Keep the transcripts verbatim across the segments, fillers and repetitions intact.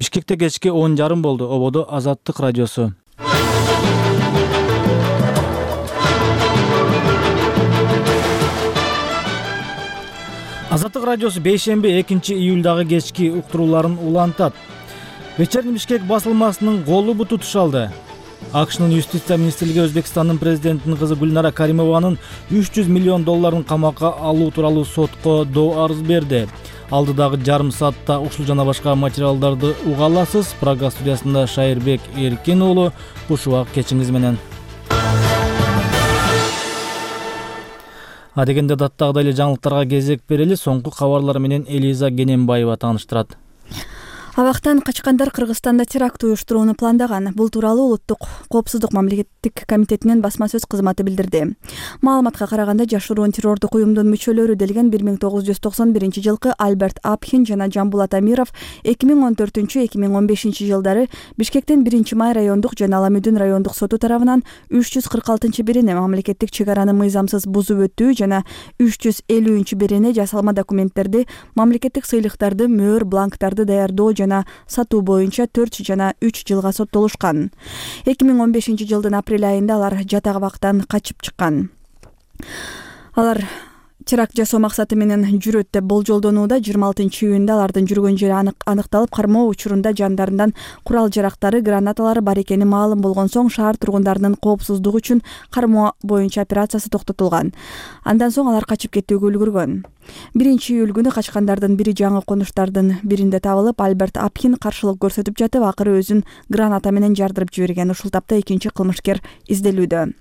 Бишкекте кечки он жарым болду. Ободо Азаттык радиосу. Азаттык радиосу бейшемби экинчи июлдагы кечки уктурууларын улантат. Вечерний Бишкек басылмасынын колу буту тушалды. АКШнын юстиция министрлиги Өзбекстандын президентинин кызы Гүлнара Каримованын үч жүз миллион долларын камакка алуу тууралуу сотко доо арыз берди. Алдыдагы жарым саатта ушул жана башка материалдарды уга аласыз. Прага студиясында Шайырбек Эркин уулу. Кушубак кечиңиз менен. Адегенде даттагыдай эле жаңылыктарга кезек берели. Соңку кабарлар менен Элиза Генембаева тааныштырат. Абактан качкандар Кыргызстанда теракт уюштурууну пландаган. Бул тууралуу Улуттук коопсуздук мамлекеттик комитетинин басма сөз кызматы билдирди. Маалыматка караганда, жашыруун террордук уюмдун мүчөлөрү делген бир миң тогуз жүз токсон биринчи жылкы Альберт Апхин жана Жамбулат Амиров эки миң он төртүнчү эки миң он бешинчи жылдары Бишкектин биринчи май райондук жана Аламүдүн райондук соту тарабынан үч жүз кырк алтынчы бирине мамлекеттик чек араны мыйзамсыз бузуп өтүү жана үч жүз элүүнчү бирине жасалма документтерди, мамлекеттик сыйлыктарды, мөөр, бланктарды даярдоо жана сатуу боюнча төрт жана үч жылга соттолушкан. эки миң он бешинчи жылдын апрель айында алар жатак абактан качып чыккан. Алар теракт жасоо максаты менен жүрөт деп болжолдонууда. жыйырма алтынчы июнда алардын жүргөн жери аныкталып, кармоо учурунда жандарынан курал-жарактары, гранаталары бар экени маалым болгон соң шаар тургундарынын коопсуздугу үчүн кармоо боюнча операциясы токтотулган. Андан соң алар качып кетүүгө үлгүргөн. биринчи июль күнү качкандардын бири жаңы конуштардын биринде табылып, Альберт Апхин каршылык көрсөтүп жатып, акыры өзүн граната менен жардырып жиберген. Ушул тапта экинчи кылмышкер изделүүдө.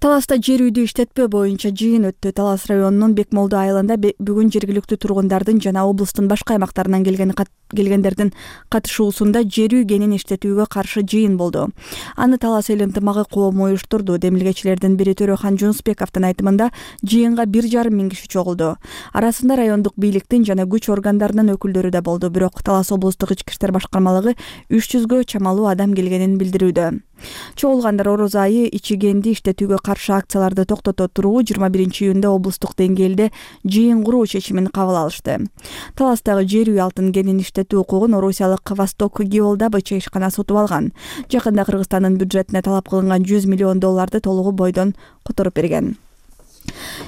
Таласта жер үйдү иштетпөө боюнча жыйын өттү. Талас районунун Бекмолду айылында бүгүн жергиликтүү тургундардын жана облустун башка аймактарынан келген келгендердин катышуусунда жер үй кенин иштетүүгө каршы жыйын болду. Аны Талас эл ынтымагы коому уюштурду. Демилгечилердин бири Төрөхан Жунусбековдун айтымында жыйынга бир жарым миң киши чогулду. Арасында райондук бийликтин жана күч органдарынын өкүлдөрү да болду. Бирок Талас облустук ички иштер башкармалыгы үч жүзгө чамалуу адам келгенин билдирүүдө. Чогулгандар ороз айы ичигенди иштетүүгө каршы акцияларды токтото туруу жыйырма биринчи июнда облустук деңгээлде жыйын куруу чечимин кабыл алышты. Таластагы жер үй алтын кенин иштетүү укугун орусиялык Восток Геолдобыча ишкана сотуп алган. Жакында Кыргызстандын бюджетине талап кылынган жүз миллион долларды толугу бойдон которуп берген.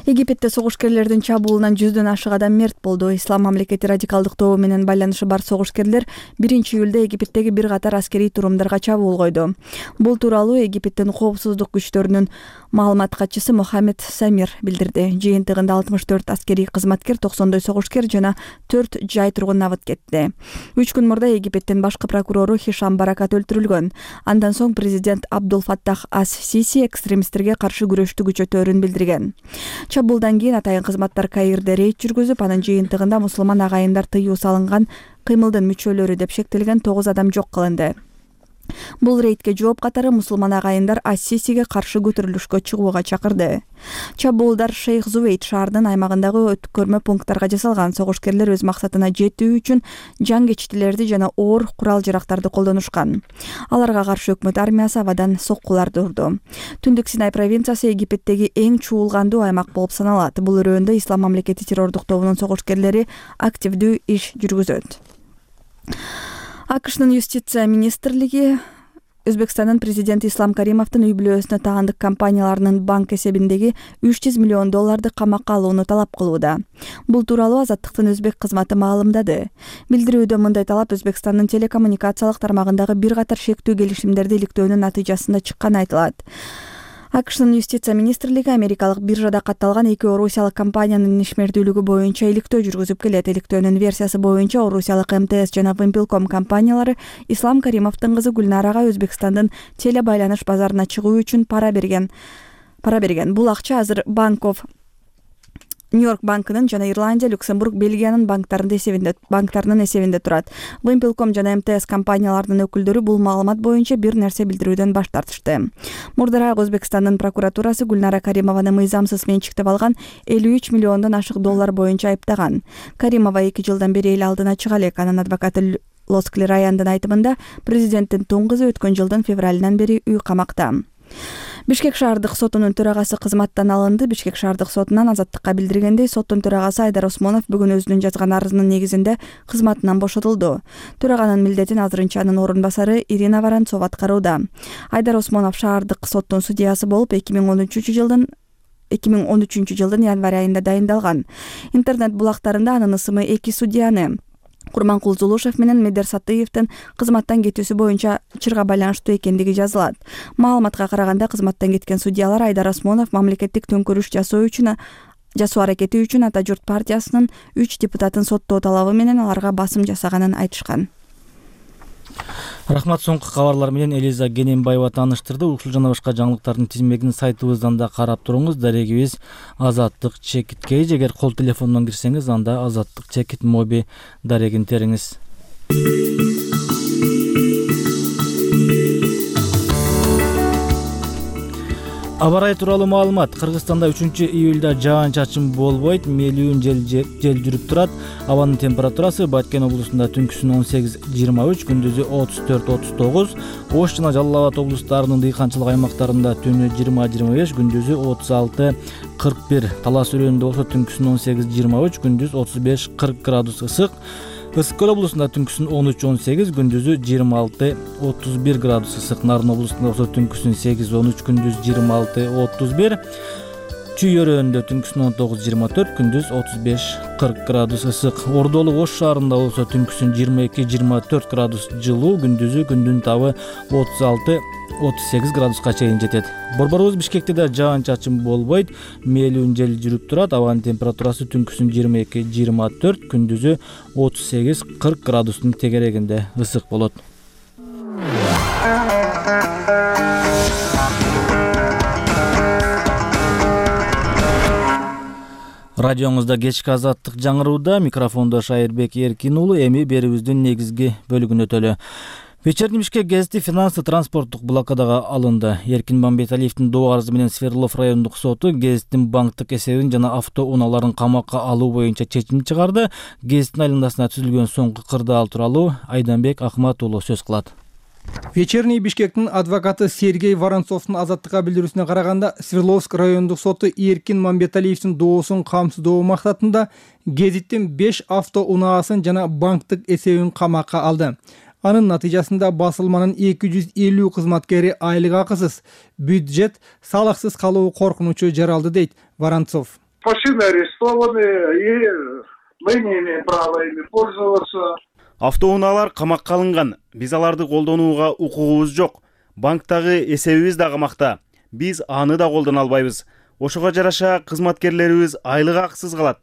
Египетте согушкерлердин чабуулунан жүздөн ашык адам мерт болду. Ислам мамлекети радикалдык тобу менен байланышы бар согушкерлер биринчи июлда Египеттеги бир катар аскерий турумдарга чабуул койду. Бул тууралуу Египеттин коопсуздук күчтөрүнүн маалымат катчысы Мохаммед Самир билдирди. Жыйынтыгында алтымыш төрт аскерий кызматкер, токсондой согушкер жана төрт жай тургун абыт кетти. Үч күн мурда Египеттин башкы прокурору Хишам Баракат өлтүрүлгөн. Андан соң президент Абдул Фаттах ас-Сиси экстремисттерге каршы күрөштү күчөтөөрүн билдирген. Чабуулдан кийин атайын кызматтар Каирде рейд жүргүзүп, анын жыйынтыгында мусулман агайындар тыюу салынган кыймылдын мүчөлөрү деп шектелген тогуз адам жок кылынды. Бул рейдке жооп катары мусулман агайындар ас-Сисиге каршы көтөрүлүшкө чыгууга чакырды. Чабуулдар Шейх Зувейд шаарынын аймагындагы өткөрмө пункттарга жасалган. Согушкерлер өз максатына жетүү үчүн жангечтилерди жана оор курал-жарактарды колдонушкан. Аларга каршы өкмөт армиясы абадан соккуларды урду. Түндүк Синай провинциясы Египеттеги эң чуулгандуу аймак болуп саналат. Бул өрөөндө Ислам мамлекети террордук тобунун согушкерлери активдүү иш жүргүзөт. АКШнын юстиция министрлиги Өзбекстандын президенти Ислам Каримовдун үй бүлөсүнө таандык компанияларынын банк эсебиндеги үч жүз миллион долларды камакка алууну талап кылууда. Бул тууралуу Азаттыктын өзбек кызматы маалымдады. Билдирүүдө мындай талап Өзбекстандын телекоммуникациялык тармагындагы бир катар шектүү келишимдерди иликтөөнүн натыйжасында чыкканы айтылат. АКШнын юстиция министрлиги америкалык биржада катталган эки орусиялык компаниянын ишмердүүлүгү боюнча иликтөө жүргүзүп келет. Иликтөөнүн версиясы боюнча орусиялык эм тэ эс жана Вимпелком компаниялары Ислам Каримовдун кызы Гүлнарага Өзбекстандын теле байланыш базарына чыгуу үчүн пара берген. Пара берген. Бул акча азыр Банков Нью-Йорк банкынын жана Ирландия, Люксембург, Бельгиянын банктарынын эсебинде банктарынын эсебинде турат. Вимпелком жана эм тэ эс компанияларынын өкүлдөрү бул маалымат боюнча бир нерсе билдирүүдөн баш тартышты. Мурдараак Өзбекстандын прокуратурасы Гүлнара Каримованы мыйзамсыз менчиктеп алган элүү үч миллиондон ашык доллар боюнча айыптаган. Каримова эки жылдан бери эл алдына чыга элек. Анын адвокаты Лоскли Раяндын айтымында президенттин тун кызы өткөн жылдын февралынан бери үй камакта. Бишкек шаардык сотунун төрагасы кызматтан алынды. Бишкек шаардык сотунан азаттыкка билдиргендей, соттун төрагасы Айдар Осмонов бүгүн өзүнүн жазган арызынын негизинде кызматынан бошотулду. Төраганын милдетин азырынча анын орун басары Ирина Воронцова аткарууда. Айдар Осмонов шаардык соттун судьясы болуп эки миң он үчүнчү жылдын эки миң он үчүнчү жылдын январь айында дайындалган. Интернет булактарында анын ысымы эки судьяны Курманкул Зулушев менен Медер Сатыевдин кызматтан кетүүсү боюнча чырга байланыштуу экендиги жазылат. Маалыматка караганда, кызматтан кеткен судьялар Айдар Осмонов мамлекеттик төңкөрүш жасоо үчүн жасоо аракети үчүн Ата журт партиясынын үч депутатын соттоо талабы менен аларга басым жасаганын айтышкан. Рахмат. Соңку кабарлар менен Элиза Гененбаева тааныштырды. Ушул жана башка жаңылыктардын тизмегин сайтыбыздан да карап туруңуз. Дарегибиз Азаттык Чекит Кейж. Эгер кол телефондон кирсеңиз, анда Азаттык Чекит моби дарегин териңиз. Аба ырайы тууралуу маалымат. Кыргызстанда үчүнчү июлда жаан-чачын болбойт, мелүүн жел жел жүрүп турат. Абанын температурасы Баткен облусунда түнкүсүн он сегиз жыйырма үч, күндүзү отуз төрт отуз тогуз, Ош жана Жалал Абад облустарынын дыйканчылык аймактарында түнү жыйырма жыйырма беш, күндүзү отуз алты кырк бир, Талас өрөөнүндө болсо түнкүсүн он сегиз жыйырма үч, күндүз отуз беш кырк градус ысык. Ысык көл облусунда түнкүсүн он үч он сегиз, күндүзү жыйырма алты отуз бир градус ысык. Нарын облусунда болсо түнкүсүн сегиз он үч, күндүз жыйырма алты отуз бир. Чүй өрөөнүндө түнкүсүн он тогуз жыйырма төрт, күндүз отуз беш кырк градус ысык. Ордолук Ош шаарында болсо түнкүсүн жыйырма эки жыйырма төрт градус жылуу, күндүзү күндүн табы отуз алты отуз сегиз градуска чейин жетет. Борборубуз Бишкекте да жаан-чачын болбойт, мелүүн жел жүрүп турат. Абанын температурасы түнкүсүн жыйырма эки жыйырма төрт, күндүзү отуз сегиз кырк градустун тегерегинде ысык болот. Радионузда кечки азаттык жаңырууда, микрофондо Шайырбек Эркин уулу. Эми берүүбүздүн негизги бөлүгүнө өтөлү. Вечерний Бишкек гезити финансы транспорттук блокадага алынды. Эркин Мамбеталиевдин доо арызы менен Свердлов райондук соту гезиттин банктык эсебин жана автоунааларын камакка алуу боюнча чечим чыгарды. Гезиттин айланасына түзүлгөн соңку кырдаал тууралуу Айданбек Акмат уулу сөз кылат. Вечерний Бишкектин адвокаты Сергей Воронцовдун азаттыкка билдирүүсүнө караганда, Свердловск райондук соту Эркин Мамбеталиевдин доосун камсыздоо максатында гезиттин беш автоунаасын жана банктык эсебин камакка алды. Анын натыйжасында басылманын эки жүз элүү кызматкери айлык акысыз, бюджет салыксыз калуу коркунучу жаралды, дейт Воронцов. Машины арестованы, и мы не имеем права ими пользоваться. Автоунаалар камакка алынган. Биз аларды колдонууга укугубуз жок. Банктагы эсебибиз да камакта. Биз аны да колдоно албайбыз. Ошого жараша кызматкерлерибиз айлык акысыз калат.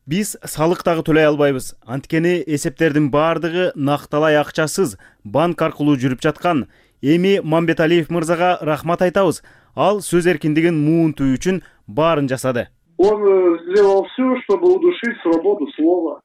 Биз салык дагы төлөй албайбыз. Анткени эсептердин баардыгы накталай акчасыз банк аркылуу жүрүп жаткан. Эми Мамбеталиев мырзага рахмат айтабыз. Ал сөз эркиндигин муунтуу үчүн баарын жасады. Он сделал все, чтобы удушить свободу слова.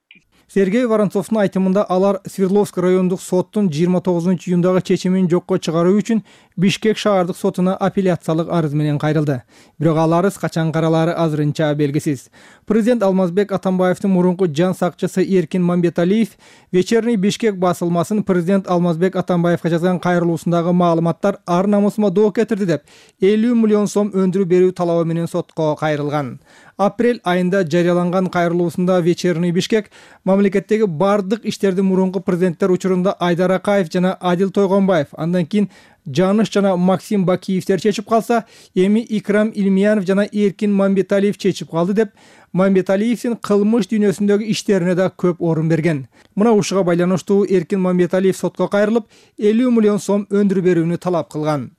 Сергей Воронцовдун айтымында алар Свердловск райондук соттун жыйырма тогузунчу июндагы чечимин жокко чыгаруу үчүн Бишкек шаардык сотуна апелляциялык арыз менен кайрылды. Бирок ал арыз качан каралаары азырынча белгисиз. Президент Алмазбек Атамбаевдин мурунку жан сакчысы Эркин Мамбеталиев Вечерний Бишкек басылмасын президент Алмазбек Атамбаевга жазган кайрылуусундагы маалыматтар ар намысыма доо кетирди деп элүү миллион сом өндүрүү берүү талабы менен сотко кайрылган. Апрель айында жарыяланган кайрылуусунда Вечерний Бишкек мамлекеттеги бардык иштерди мурунку президенттер учурунда Айдар Акаев жана Адил Тойгонбаев, андан кийин Жаныш жана Максим Бакиевтер чечип калса, эми Икрам Илмиянов жана Эркин Мамбеталиев чечип калды деп Мамбеталиевдин кылмыш дүйнөсүндөгү иштерине да көп орун берген. Мына ушуга байланыштуу Эркин Мамбеталиев сотко кайрылып, элүү миллион сом өндүрүү берүүнү талап кылган.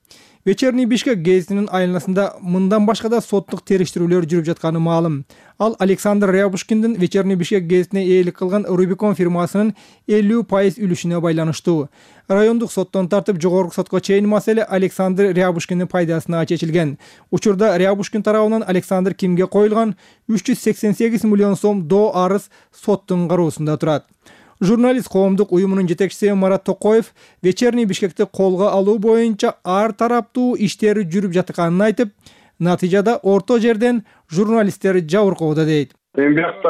Вечерний Бишкек гезитинин айланасында мындан башка да соттук териштирүүлөр жүрүп жатканы маалым. Ал Александр Рябушкиндин Вечерний Бишкек гезитине ээлик кылган Рубикон фирмасынын элүү пайыз үлүшүнө байланыштуу. Райондук соттон тартып жогорку сотко чейин маселе Александр Рябушкиндин пайдасына чечилген. Учурда Рябушкин тарабынан Александр Кимге коюлган үч жүз сексен сегиз миллион сом доо арыз соттун кароосунда турат. Журналист коомдук уюмунун жетекчиси Марат Токоев Вечерний Бишкекти колго алуу боюнча ар тараптуу иштери жүрүп жатканын айтып, натыйжада орто жерден журналисттер жабыркоодо, дейт. Эми бияқта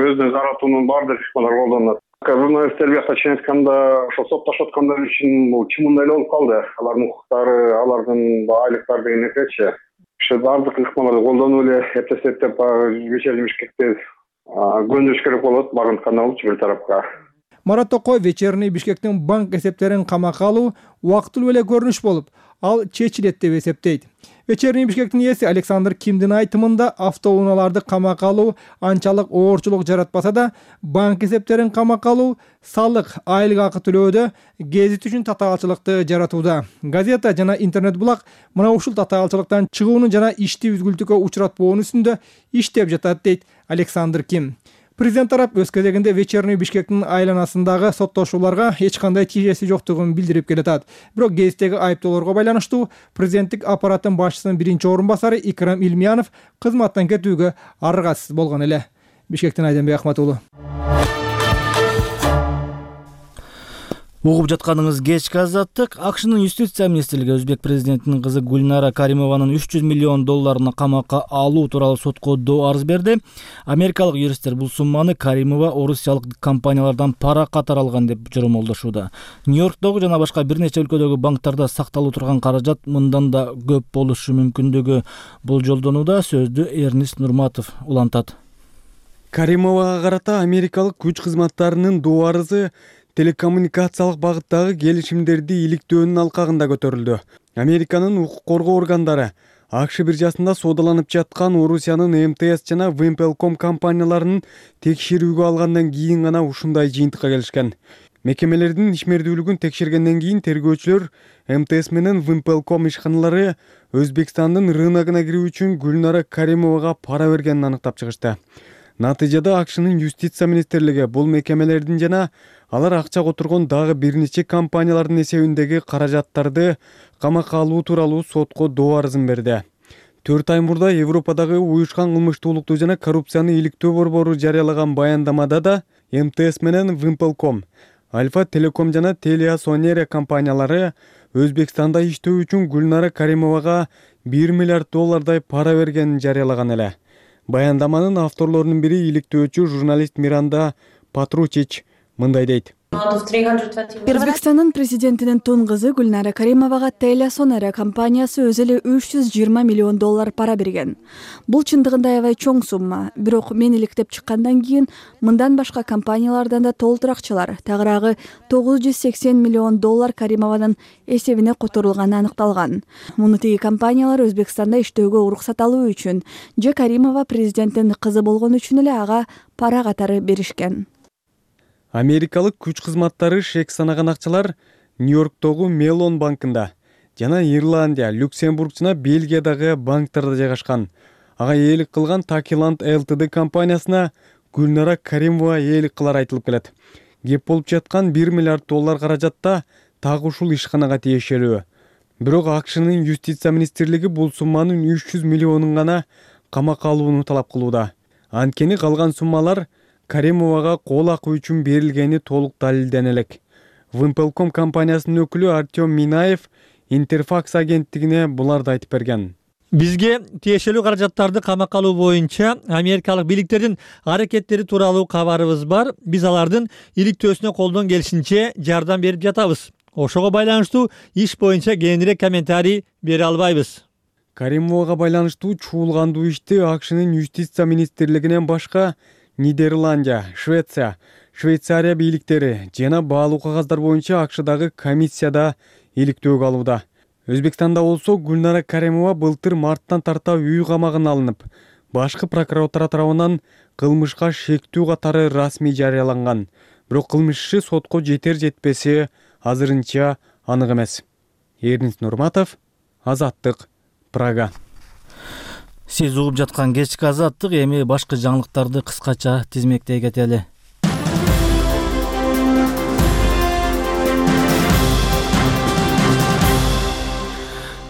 өзүнүн жаратуунун баардык ыкмалары колдонулат. Журналисттер биякта чын айтканда ошо соттошуп аткандар үчүн бул чымындай эле болуп калды. Алардын укуктары, алардын айлыктары деген нерсечи. Ошо бардык ыкмаларды колдонуп эле эптеп-эптеп вечерний Бишкекти көндүрүш керек болот, багынтканда болчу бир тарапка. Марат Токоев вечерний Бишкектин банк эсептерин камакка алуу убактылуу эле көрүнүш болуп, ал чечилет деп эсептейт. Вечерний Бишкектин ээси Александр Кимдин айтымында автоунааларды камакка алуу анчалык оорчулук жаратпаса да, банк эсептерин камакка алуу салык, айлык акы төлөөдө гезит үчүн татаалчылыкты жаратууда. Газета жана интернет булак мына ушул татаалчылыктан чыгуунун жана ишти үзгүлтүккө учуратпоонун үстүндө иштеп жатат, дейт Александр Ким. Президент тарап өз кезегинде вечерний Бишкектин айланасындагы соттошууларга эч кандай тиешеси жоктугун билдирип келатат. Бирок гезиттеги айыптоолорго байланыштуу президенттик аппараттын башчысынын биринчи орун басары Икрам Илмиянов кызматтан кетүүгө аргасыз болгон эле. Бишкектен Айденбек Ахмат уулу. Угуп жатканыңыз кечки азаттык. АКШнын юстиция министрлиги өзбек президентинин кызы Гульнара Каримованын үч жүз миллион долларына камакка алуу тууралуу сотко доо арыз берди. Америкалык юристтер бул сумманы Каримова орусиялык компаниялардан пара катары алган деп жоромолдошууда. Нью-Йорктогу жана башка бир нече өлкөдөгү банктарда сакталуу турган каражат мындан да көп болушу мүмкүндүгү болжолдонууда. Сөздү Эрнист Нурматов улантат. Каримовага карата америкалык күч кызматтарынын доо арызы телекоммуникациялык багыттагы келишимдерди иликтөөнүн алкагында көтөрүлдү. Американын укук коргоо органдары АКШ биржасында соодаланып жаткан Орусиянын эм тэ эс жана Wimpelcom компанияларынын текшерүүгө алгандан кийин гана ушундай жыйынтыкка келишкен. Мекемелердин ишмердүүлүгүн текшергенден кийин тергөөчүлөр эм тэ эс менен Wimpelcom ишканалары Өзбекстандын рыногуна кирүү үчүн Гүлнара Каримовага пара бергенин аныктап чыгышты. Натыйжада АКШнын юстиция министрлиги бул мекемелердин жана алар акча которгон дагы бир нече компаниялардын эсебиндеги каражаттарды камакка алуу тууралуу сотко доо арызын берди. төрт ай мурда Европадагы уюшкан кылмыштуулукту жана коррупцияны иликтөө борбору жарыялаган баяндамада да эм тэ эс менен Wimpelcom, Альфа Телеком жана Телеасонерия компаниялары Өзбекстанда иштөө үчүн Гүлнара Каримовага бир миллиард доллардай пара бергенин жарыялаган эле. Баяндаманын авторлорунун бири иликтөөчү журналист Миранда Патручич мындай дейт. Өзбекстандын президентинин тун кызы Гүлнара Каримовага Телеасонерия компаниясы өзү эле үч жүз жыйырма миллион доллар пара берген. Бул чындыгында аябай чоң сумма. Бирок мен иликтеп чыккандан кийин мындан башка компаниялардан да толтур акчалар, тагыраагы тогуз жүз сексен миллион доллар Каримованын эсебине которулганы аныкталган. Муну тиги компаниялар Өзбекстанда иштөөгө уруксат алуу үчүн же Каримова президенттин кызы болгон үчүн эле ага пара катары беришкен. Америкалык күч кызматтары шек санаган акчалар Нью-Йорктогу Мелон банкында жана Ирландия, Люксембург жана Бельгиядагы банктарда жайгашкан. Ага ээлик кылган Takiland эл тэ дэ компаниясына Гүлнара Каримова ээлик кылар айтылып келет. Кеп болуп жаткан бир миллиард доллар каражатта так ушул ишканага тиешелүү. Бирок АКШнын юстиция министрлиги бул сумманын үч жүз миллионун гана камакка алууну талап кылууда. Анткени калган суммалар Каримовага кол акы үчүн берилгени толук далилдене элек. Wimpelcom компаниясынын өкүлү Артем Минаев Интерфакс агенттигине буларды айтып берген. Бизге тиешелүү каражаттарды камакка алуу боюнча америкалык бийликтердин аракеттери тууралуу кабарыбыз бар. Биз алардын иликтөөсүнө колдон келишинче жардам берип жатабыз. Ошого байланыштуу иш боюнча кененирээк комментарий бере албайбыз. Каримовага байланыштуу чуулгандуу ишти АКШнын юстиция министрлигинен башка Нидерландия, Швеция, Швейцария бийликтери жана баалуу кагаздар боюнча АКШдагы комиссияда иликтөөгө алууда. Өзбекстанда болсо Гүлнара Каримова былтыр марттан тарта үй камагына алынып, башкы прокуратура тарабынан кылмышка шектүү катары расмий жарыяланган. Бирок кылмыш иши сотко жетер жетпеси азырынча анык эмес. Эрнист Нурматов, Азаттык, Прага. Сиз угуп жаткан кечки азаттык, эми башкы жаңылыктарды кыскача тизмектей кетели.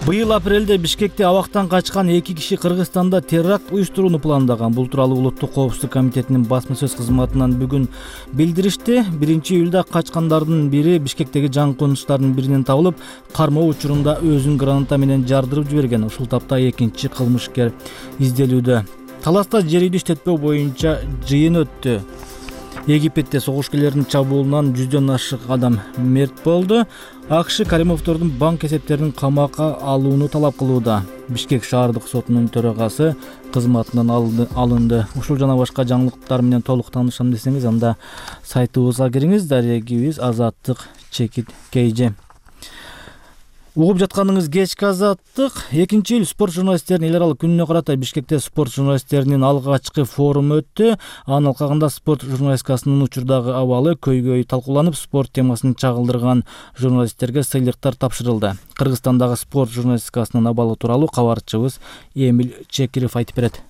Быйыл апрелде Бишкекте абактан качкан эки киши Кыргызстанда теракт уюштурууну пландаган. Бул тууралуу Улуттук коопсуздук комитетинин басма сөз кызматынан бүгүн билдиришти. биринчи июлда качкандардын бири Бишкектеги жаңконуштардын биринен табылып, кармоо учурунда өзүн граната менен жардырып жиберген. Ушул тапта экинчи кылмышкер изделүүдө. Таласта жер үйдү иштетпөө боюнча жыйын өттү. Египетте согушкерлердин чабуулунан жүздөн ашык адам мерт болду. АКШ Каримовдордун банк эсептерин камакка алууну талап кылууда. Бишкек шаардык сотунун төрагасы кызматынан алынды. Ушул жана башка жаңылыктар менен толук таанышам десеңиз, анда сайтыбызга кириңиз. Дарегибиз Азаттык чекит кейже. Угуп жатканыңыз кечки Азаттык. Экинчи июль спорт журналисттеринин эл аралык күнүнө карата Бишкекте спорт журналисттеринин алгачкы форуму өттү. Анын алкагында спорт журналистикасынын учурдагы абалы көйгөй талкууланып, спорт темасын чагылдырган журналисттерге сыйлыктар тапшырылды. Кыргызстандагы спорт журналистикасынын абалы тууралуу кабарчыбыз Эмил Чекиров айтып берет.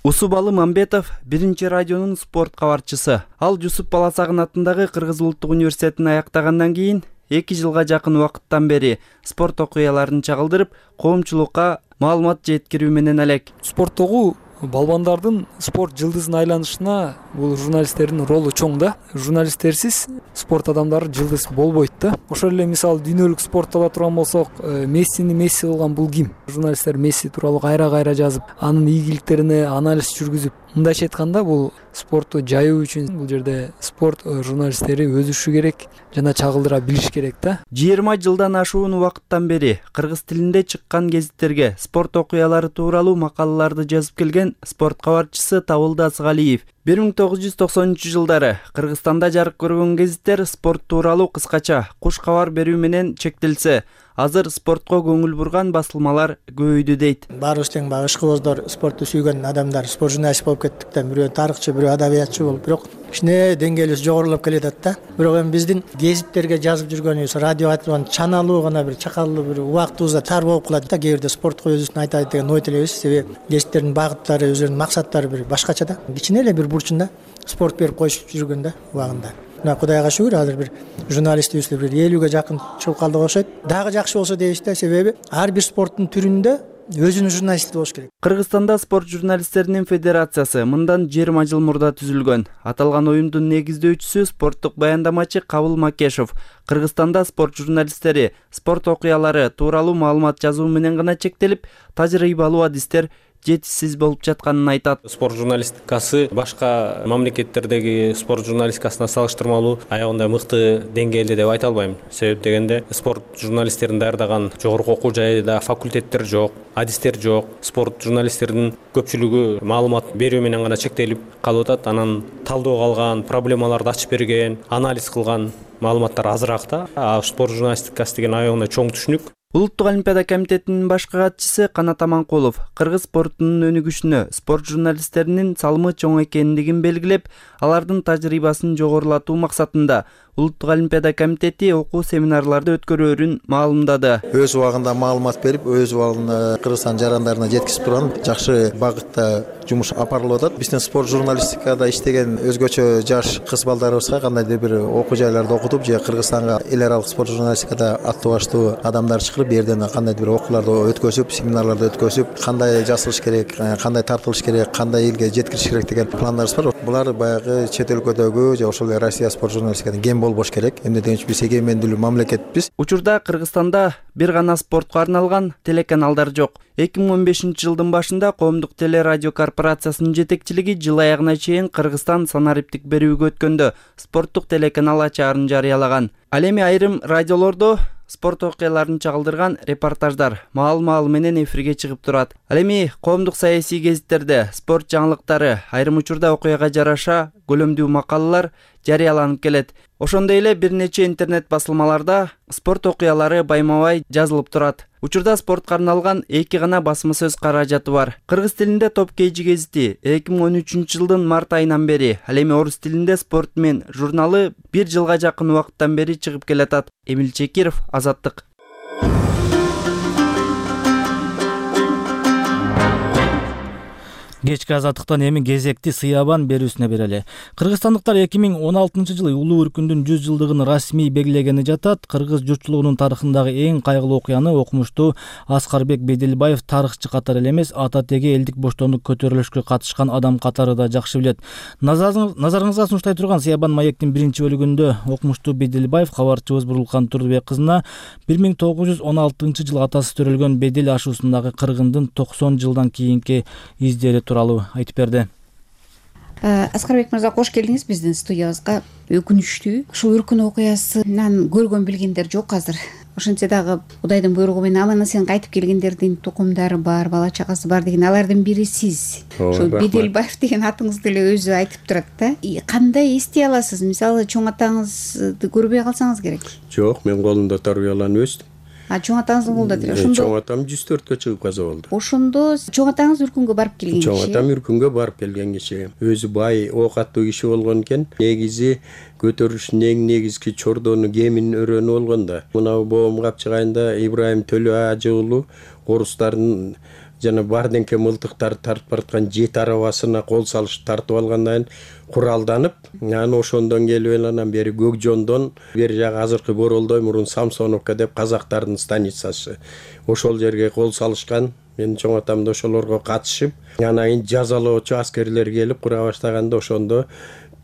Усубалы Мамбетов биринчи радионун спорт кабарчысы. Ал Жусуп Баласагын атындагы Кыргыз улуттук университетин аяктагандан кийин эки жылга жакын убакыттан бери спорт окуяларын чагылдырып, коомчулукка маалымат жеткирүү менен элек. Спорттогу балбандардын спорт жылдызына айланышына бул журналисттердин ролу чоң да. Журналисттерсиз спорт адамдары жылдыз болбойт да. Ошол эле мисалы дүйнөлүк спортто ала турган болсок, Мессини Месси кылган бул ким? Журналисттер Месси тууралуу кайра-кайра жазып, анын ийгиликтерине анализ жүргүзүп, мындайча айтканда бул спортту жайуу үчүн бул жерде спорт журналисттери өсүшү керек жана чагылдыра билиш керек да. жыйырма жылдан ашуун убакыттан бери кыргыз тилинде чыккан гезиттерге спорт окуялары тууралуу макалаларды жазып келген спорт кабарчысы Табылды Асыгалиев бир миң тогуз жүз токсонунчу жылдары Кыргызстанда жарык көргөн гезиттер спорт тууралуу кыскача куш кабар берүү менен чектелсе, азыр спортко көңүл бурган басылмалар көбөйдү дейт. Баарыбыз тең баягы ышкыбоздор, спортту сүйгөн адамдар, спорт журналист болуп кеттик да. Бирөө тарыхчы, бирөө адабиятчы болуп, бирок кичине деңгээлибиз жогорулап келатат да. Бирок эми биздин гезиттерге жазып жүргөнүбүз, радиого айтып турган чаналуу гана бир чакалуу бир убактыбызда тар болуп калат да. Кээ бирде спортко өзүбүздүн айтайын деген ой тилебиз. Себеби гезиттердин багыттары, өзүнүн максаттары бир башкача да. Кичине эле бир бурчунда спорт берип коюшуп жүргөн да убагында. Мына Кудайга шүгүр, азыр бир журналистибиз бир элүүгө жакын чыгып калдык окшойт. Дагы жакшы болсо дейбиз да, себеби ар бир спорттун түрүндө өзүнүн журналисти болуш керек. Кыргызстанда спорт журналисттеринин федерациясы мындан жыйырма жыл мурда түзүлгөн. Аталган уюмдун негиздөөчүсү спорттук баяндамачы Кабыл Макешов Кыргызстанда спорт журналисттери спорт окуялары тууралуу маалымат жазуу менен гана чектелип, тажрыйбалуу адистер жетишсиз болуп жатканын айтат. Спорт журналистикасы башка мамлекеттердеги спорт журналистикасына салыштырмалуу аягында мыкты деңгээлде деп айта албайм. Себеп дегенде спорт журналисттерин даярдаган жогорку окуу жайда факультеттер жок, адистер жок. Спорт журналисттердин көпчүлүгү маалымат берүү менен гана чектелип калып атат. Анан талдоого алган, проблемаларды ачып берген, анализ кылган маалыматтар азыраак да. А спорт журналистикасы деген аягында чоң түшүнүк. Улуттук олимпиада комитетинин башкы катчысы Канат Аманкулов кыргыз спортунун өнүгүшүнө спорт журналисттеринин салымы чоң экендигин белгилеп, алардын тажрыйбасын жогорулатуу максатында Улуттук олимпиада комитети окуу семинарларды өткөрөөрүн маалымдады. Өз убагында маалымат берип, өз убагында Кыргызстан жарандарына жеткизип турган жакшы багытта жумуш апарылып атат. Биздин спорт журналистикада иштеген өзгөчө жаш кыз балдарыбызга кандайдыр бир окуу жайларды окутуп, же Кыргызстанга эл аралык спорт журналистикада аттуу баштуу адамдар чыгарып, берден кандайдыр бир окууларды өткөзүп, семинарларды өткөзүп, кандай жасалыш керек, кандай тартылыш керек, кандай элге жеткириш керек деген пландарыбыз бар. Булар баягы чет өлкөдөгү же ошол Россия спорт журналистикадан кем болбош керек. Эмне дегенче биз эгемендүүлүү мамлекетпиз. Учурда Кыргызстанда бир гана спортко арналган телеканалдар жок. эки миң он бешинчи жылдын башында Коомдук телерадио корпорациясынын жетекчилиги жыл аягына чейин Кыргызстан санариптик берүүгө өткөндө спорттук телеканал ачаарын жарыялаган. Ал эми айрым радиолордо спорт окуяларын чагылдырган репортаждар маал-маал менен эфирге чыгып турат. Ал эми коомдук саясий гезиттерде спорт жаңылыктары, айрым учурда окуяга жараша көлөмдүү макалалар жарыяланып келет. Ошондой эле бир нече интернет басылмаларда спорт окуялары байма-бай жазылып турат. Учурда спортко арналган эки гана басма сөз каражаты бар. Кыргыз тилинде Топ Кейжи гезити эки миң он үчүнчү жылдын март айынан бери, ал эми орус тилинде Спорт мен журналы бир жылга жакын убакыттан бери чыгып келатат. Эмил Чекиров, Азаттык. Кечки Азаттыктан эми кезекти сыябан берүүсүнө берели. Кыргызстандыктар эки миң он алтынчы жылы улуу өркүндүн жүз жылдыгын расмий белгилегени жатат. Кыргыз журтчулугунун тарыхындагы эң кайгылуу окуяны окумуштуу Аскарбек Беделбаев тарыхчы катары эле эмес, ата теги элдик боштондук көтөрүлүшкө катышкан адам катары да жакшы билет. Назарыңызга сунуштай турган Сыябан маектин биринчи бөлүгүндө окумуштуу Беделбаев кабарчыбыз Бурулкан Турдубек кызына бир миң тогуз жүз он алтынчы жылы атасы төрөлгөн Бедел ашуусундагы кыргындын токсон жылдан кийинки издери тууралуу айтып берди. Аскарбек мырза, кош келдиңиз биздин студиябызга. Өкүнүчтүү, ушул үркүн окуясынан көргөн билгендер жок азыр. Ошентсе дагы Кудайдын буйругу менен аман эсен кайтып келгендердин тукумдары бар, бала чагасы бар деген, алардын бири сиз. Ошол Беделбаев деген атыңызды эле өзү айтып турат да. Кандай эстей аласыз? Мисалы, чоң атаңызды көрбөй калсаңыз керек. Жок, мен колунда тарбияланып өстүм. А чоң атаңыздын колунда тире. Ошондо чоң атам жүз төрткө чыгып каза болду. Ошондо чоң атаңыз үркүнгө барып келген киши. Чоң атам үркүнгө барып келген киши. Өзү бай, оокаттуу киши болгон экен. Негизи көтөрүштүн эң негизги чордону кемин өрөнү болгон да. Мына боом капчыгайында Ибрайым Төлө ажы уулу орустардын жана барденке мылтыктарды тартып бараткан жети арабасына кол салышып тартып алгандан кийин куралданып, анан ошондон келип анан бери Көкжондон бери жагы азыркы Боролдой мурун Самсоновка деп казактардын станицасы. Ошол жерге кол салышкан. Мен чоң атам да ошолорго катышып, анан кийин жазалоочу аскерлер келип кура баштаганда ошондо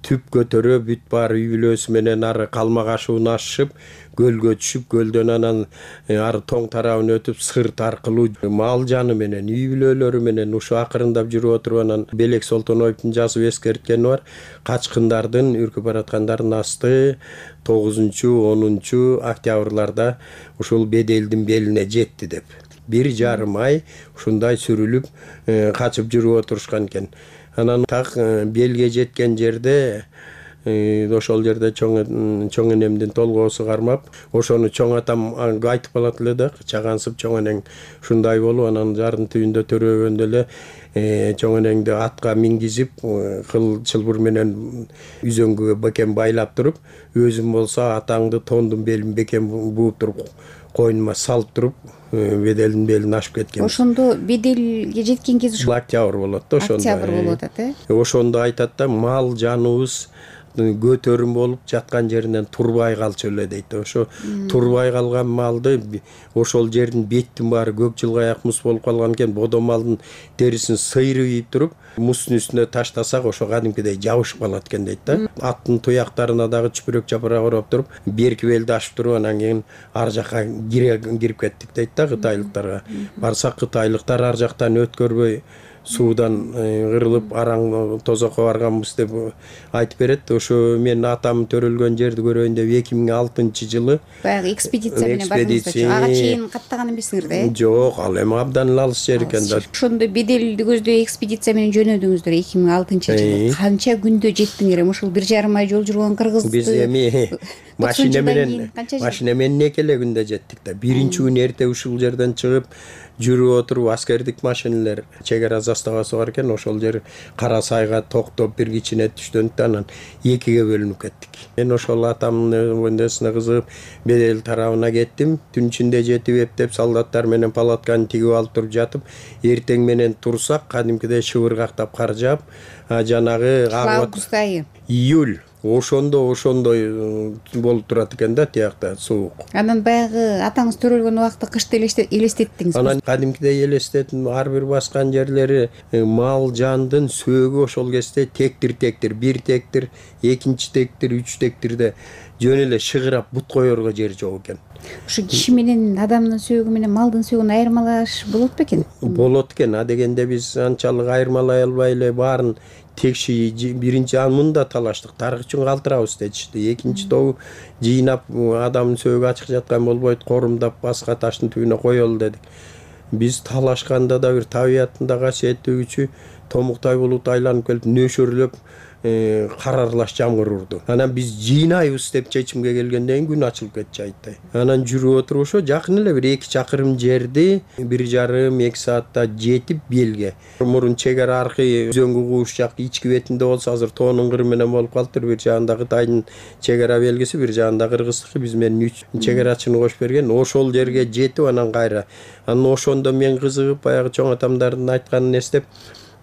түп көтөрө бүт баары үй бүлөсү менен ары Калмак ашуун ашышып, көлгө түшүп, көлдөн анан ары тоң тарабын өтүп, сырт аркылуу мал жаны менен, үй бүлөлөрү менен ушу акырындап жүрүп отуруп, анан Белек Солтоноевдун жазып эскерткени бар. Качкындардын, үркүп бараткандардын асты тогузунчу онунчу октябрларда ушул Беделдин белине жетти деп. Бир жарым ай ушундай сүрүлүп качып жүрүп отурушкан экен. Анан так белге жеткен жерде ошол жерде чоң чоң энемдин толгоосу кармап, ошону чоң атам айтып калат эле да, чагансып чоң энең ушундай болуп, анан жардын түбүндө төрөгөндө эле чоң энеңди атка мингизип, кыл чылбыр менен үзөңгүгө бекем байлап туруп, өзүм болсо атаңды тондун белин бекем бууп туруп, койнума салып туруп, Беделдин белин ашып кеткен. Ошондо Беделге жеткен кез ушул октябрь болот да, ошондо. Октябрь болуп атат, э? Ошондо айтат да, мал жаныбыз көтөрүм болуп жаткан жеринен турбай калчу эле дейт. Ошо турбай калган малды ошол жердин беттин баары көк жылгаяк муз болуп калган экен, бодо малдын терисин сыйрып ийип туруп, муздун үстүнө таштасак ошо кадимкидей жабышып калат экен дейт да. Аттын туяктарына дагы чүпүрөк чапырак ороп туруп, берки белди ашып туруп, анан кийин ар жакка кирип кеттик дейт да кытайлыктарга. Барсак кытайлыктар ар жактан өткөрбөй суудан кырылып араң тозокко барганбыз деп айтып берет. Ошо мен атам төрөлгөн жерди көрөйүн деп эки миң алтынчы жылы баягы экспедиция менен бардыңыздар. Ага чейин каттаган эмессиңер да, э? Жок, ал эми абдан эле алыс жер экен да. Ошондо Беделди көздөй экспедиция менен жөнөдүңүздөр эки миң алтынчы жылы. Канча күндө жеттиңер? Эми ушул бир жарым ай жол жүргөн кыргызды биз эми машина менен машина менен эки эле күндө жеттик да. Биринчи күнү эрте ушул жерден чыгып жүрүп отуруп, аскердик машиналар чек ара заставасы бар экен, ошол жер Кара Сайга токтоп бир кичине түштөнүп, анан экиге бөлүнүп кеттик. Мен ошол атамдын өндөсүнө кызыгып Бедел тарабына кеттим. Түн ичинде жетип эптеп солдаттар менен палатканы тигип алып туруп жатып, эртең менен турсак кадимкидей шыбыргактап кар жаап, жанагы август айы, июль ошондо ошондой болуп турат экен да, тиякта суук. Анан баягы атаңыз төрөлгөн убакытты кышты элестеттиңиз. Анан кадимкидей элестеттим, ар бир баскан жерлери мал жандын сөөгү ошол кезде тектир-тектир, бир тектир, экинчи тектир, үч тектирде жөн эле шыгырап бут коерго жер жок экен. Ушу киши менен адамдын сөөгү менен малдын сөөгүн айырмалаш болот бекен? Болот экен. А дегенде биз анчалык айырмалай албай эле баарын текши биринчи мында талаштык, тарых үчүн калтырабыз дечишти. Экинчи тобу жыйнап адамдын сөөгү ачык жаткан болбойт, корумдап башка таштын түбүнө коелу дедик. Биз талашканда да бир табияттын касиеттүү күчү томуктай булут айланып келип нөшөрлөп кар аралаш жамгыр урду. Анан биз жыйнайбыз деп чечимге келгенден күн ачылып кетчү айттай. Анан жүрүп отуруп ошо жакын эле бир эки чакырым жерди бир жарым эки саатта жетип белге. Мурун чек ара аркы өзөңгү кууш жак ички бетинде болсо азыр тоонун кыры менен болуп калыптыр. Бир жагында Кытайдын чек ара белгиси, бир жагында Кыргыздыкы, биз менен үч чек арачыны кошуп берген. Ошол жерге жетип анан кайра. Анан ошондо мен кызыгып баягы чоң атамдардын айтканын эстеп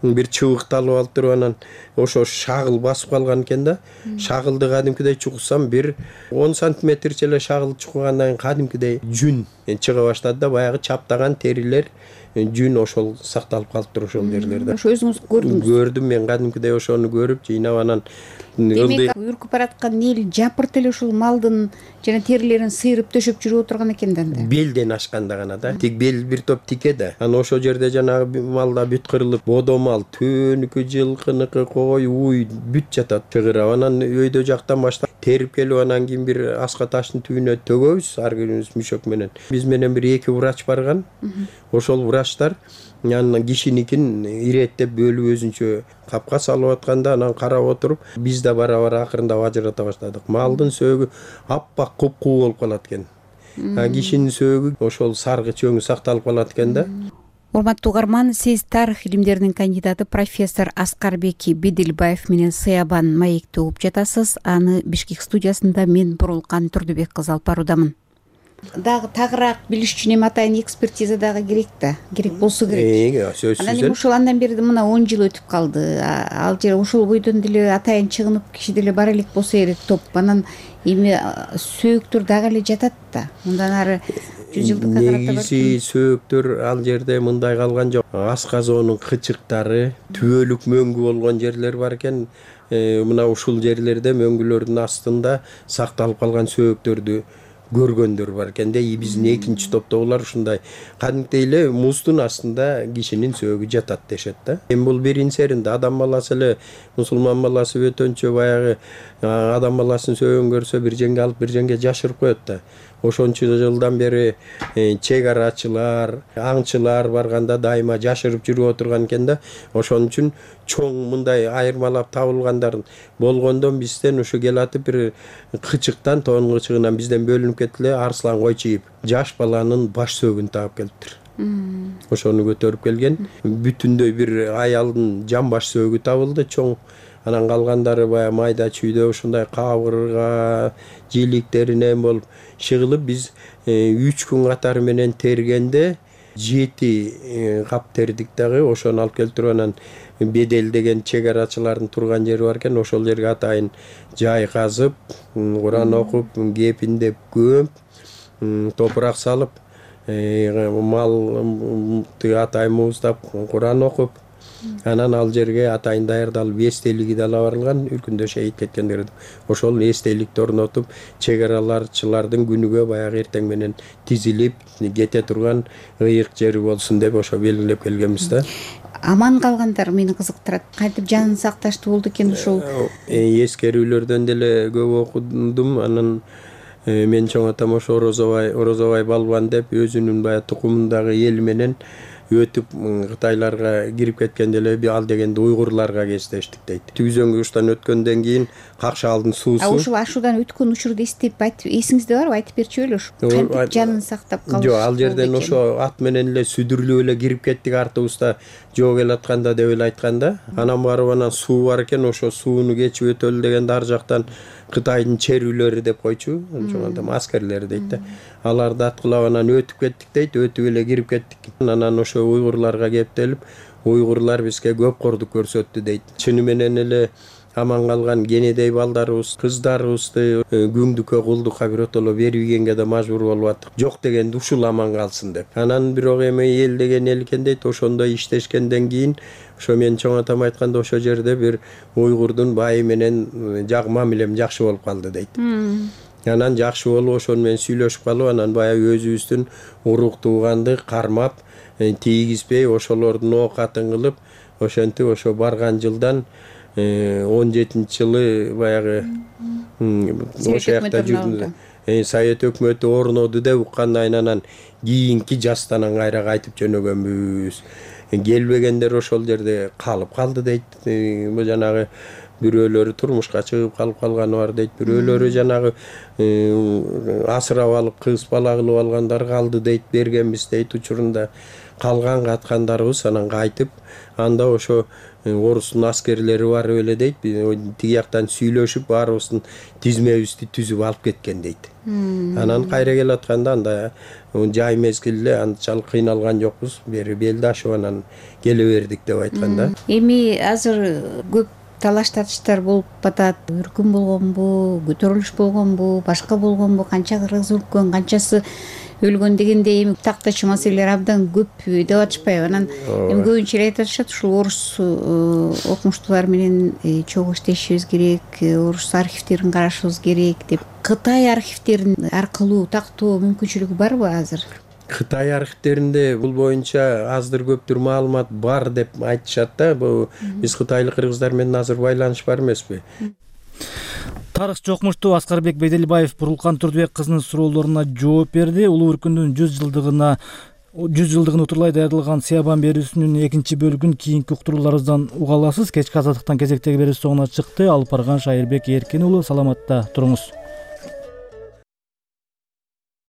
бир чыбыкты алып алып туруп, анан ошо шагыл басып калган экен да. Шагылды кадимкидей чуксам бир он сантиметрче эле шагыл чукугандан кийин кадимкидей жүн чыга баштады да, баягы чаптаган терилер жүн ошол сакталып калыптыр ошол жерлерде. Ошо өзүңүз көрдүңүз? Көрдүм мен кадимкидей ошону көрүп жыйнап анан демек үркүп бараткан эл жапырт эле ушул малдын жана терилерин сыйрып төшөп жүрүп отурган экен да. Белден ашканда гана да. Тик бел бир топ тике да. Анан ошол жерде жанагы малда бүт кырылып, бодо мал, түбөнүкү, жылкыныкы, кой, уй бүт жатат чыгырап. Анан өйдө жактан баштап терип келип анан кийин бир аска таштын түбүнө төгөбүз ар бирибиз мүшөк менен. Биз менен бир эки врач барган. Ошол врачтар анан кишиникин иреттеп бөлүп өзүнчө капка салып атканда анан карап отуруп биз да бара бара акырындап ажырата баштадык. Малдын сөөгү аппак куп-куу болуп калат экен. А кишинин сөөгү ошол саргыч өңү сакталып калат экен да. Урматтуу угарман, сиз тарых илимдеринин кандидаты профессор Аскарбек Бедилбаев менен Сыябан маекти угуп жатасыз. Аны Бишкек студиясында мен Бурулкан Турдубек кызы алып баруудамын. Дагы тагыраак билиш үчүн эми атайын экспертиза дагы керек да, керек болсо керек. Сөзсүз. Анан эми ушул андан бери мына он жыл өтүп калды. Ал жер ошол бойдон деле атайын чыгынып киши деле бара элек болсо керек топ. Анан эми сөөктөр дагы эле жатат да. Мындан ары жүз жылдыкка карата негизи сөөктөр ал жерде мындай калган жок. Асказоонун кычыктары, түбөлүк мөңгү болгон жерлер бар экен. Мына ушул жерлерде мөңгүлөрдүн астында сакталып калган сөөктөрдү көргөндөр бар экен да. Биздин экинчи топтогулар ушундай кадимкидей эле муздун астында кишинин сөөгү жатат дешет да. Эми бул биринчеринде адам баласы эле, мусулман баласы бөтөнчө баягы адам баласынын сөөгүн көрсө бир жеңге алып бир жеңге жашырып коет да. Ошончу жылдан бери чек арачылар, аңчылар барганда дайыма жашырып жүрүп отурган экен да. Ошон үчүн чоң мындай айырмалап табылгандарын болгондон бизден ушу келатып бир кычыктан, тоон кычыгынан бизден бөлүнүп кетти эле арслан койчуйуп жаш баланын баш сөөгүн таап келиптир. Ошону көтөрүп келген. Бүтүндөй бир аялдын жан баш сөөгү табылды чоң. Анан калгандары баягы майда чүйдө ушундай кабырга, жиликтеринен болуп чыгылып биз үч күн катары менен тергенде жети кап тердик дагы. Ошону алып келип туруп анан Бедел деген чек арачылардын турган жери бар экен. Ошол жерге атайын жай казып, Куран окуп, кепиндеп көмүп, топурак салып, мал атайын мууздап, Куран окуп, анан ал жерге атайын даярдалып эстелиги да ала барылган, үркүндө шейит кеткендерди. Ошол эстеликти орнотуп, чек араларчылардын күнүгө баягы эртең менен тизилип кете турган ыйык жери болсун деп ошо белгилеп келгенбиз да. Аман калгандар мени кызыктырат. Кантип жанын сакташты болду экен ушул? Эскерүүлөрдөн деле көп окудум. Анан мен чоң атам ошо Орозобай, Орозобай балбан деп өзүнүн баягы тукумундагы эл менен өтүп Кытайларга кирип кеткенде эле ал дегенде уйгурларга кездештик дейт. Түзөң уруштан өткөндөн кийин Какшаалдын суусу. А ушул ашуудан өткөн учурду эстеп айтып, эсиңизде барбы? Айтып берчү ошо. Кантип жанын сактап калыш? Жок, ал жерден ошо ат менен эле сүдүрүлүп эле кирип кеттик артыбызда жоо келатканда деп эле айтканда. Анан барып анан суу бар экен, ошо сууну кечип өтөлү дегенде ар жактан Кытайдын черүүлөрү деп койчу, ошондо аскерлери дейт да. Аларды аткылап анан өтүп кеттик дейт, өтүп эле кирип кеттик. Анан ошо уйгурларга кептелип, уйгурлар бизге көп кордук көрсөттү дейт. Чыны менен эле аман калган кенедей балдарыбыз, кыздарыбызды күңдүккө, кулдукка биротоло бербегенге да мажбур болуп аттык. Жок дегенде ушул аман калсын деп. Анан бирок эми эл деген эл экен дейт, ошондой иштешкенден кийин ошо мен чоң атам айтканда ошо жерде бир уйгурдун байы менен жак мамилем жакшы болуп калды дейт. Анан жакшы болуп ошону менен сүйлөшүп калып, анан баягы өзүбүздүн урук тууганды кармап, тийгизбей ошолордун оокатын кылып, ошентип ошо барган жылдан он жетинчи жылы баягы ошо жакта жүрдүм. Совет өкмөтү орноду деп уккандан анан кийинки жаздан кайра кайтып жөнөгөнбүз. Келбегендер ошол жерде калып калды дейт. Бул жанагы бирөөлөрү турмушка чыгып калып калганы бар дейт. Бирөөлөрү жанагы асырап алып кыз бала кылып алгандар калды дейт, бергенбиз дейт учурунда. Калган каткандарыбыз анан кайтып, анда ошо орустун аскерлери барып эле дейт, тиги жактан сүйлөшүп баарыбыздын тизмебизди түзүп алып кеткен дейт. Анан кайра келатканда анда жай мезгил эле анчалык кыйналган жокпуз, бери белди ашып анан келе бердик деп айтканда. Эми азыр көп талаш татыштар болуп атат. Өркүн болгонбу, көтөрүлүш болгонбу, башка болгонбу, канча кыргыз өлкөн, канчасы өлгөн дегендей эми тактачы маселелер абдан көп деп атышпайбы. Анан эми көбүнчө эле айтып атышат, ушул орус окумуштуулар менен чогуу иштешибиз керек, орус архивдерин карашыбыз керек деп. Кытай архивдерин аркылуу тактоо мүмкүнчүлүгү барбы азыр? Кытай архивдеринде бул боюнча аздыр көптүр маалымат бар деп айтышат да. Бул биз кытайлык кыргыздар менен азыр байланыш бар эмеспи? Тарыхчы окумуштуу Аскарбек Беделбаев Бурулкан Турдубек кызынын суроолоруна жооп берди. Улуу өркүндүн жүз жылдыгына жүз жылдыгын утурлай даярдалган Сыябан берүүсүнүн экинчи бөлүгүн кийинки уктурууларыбыздан уга аласыз. Кечки азаттыктан кезектеги берүү соңуна чыкты. Алып барган Шайырбек Эркин уулу, саламатта туруңуз.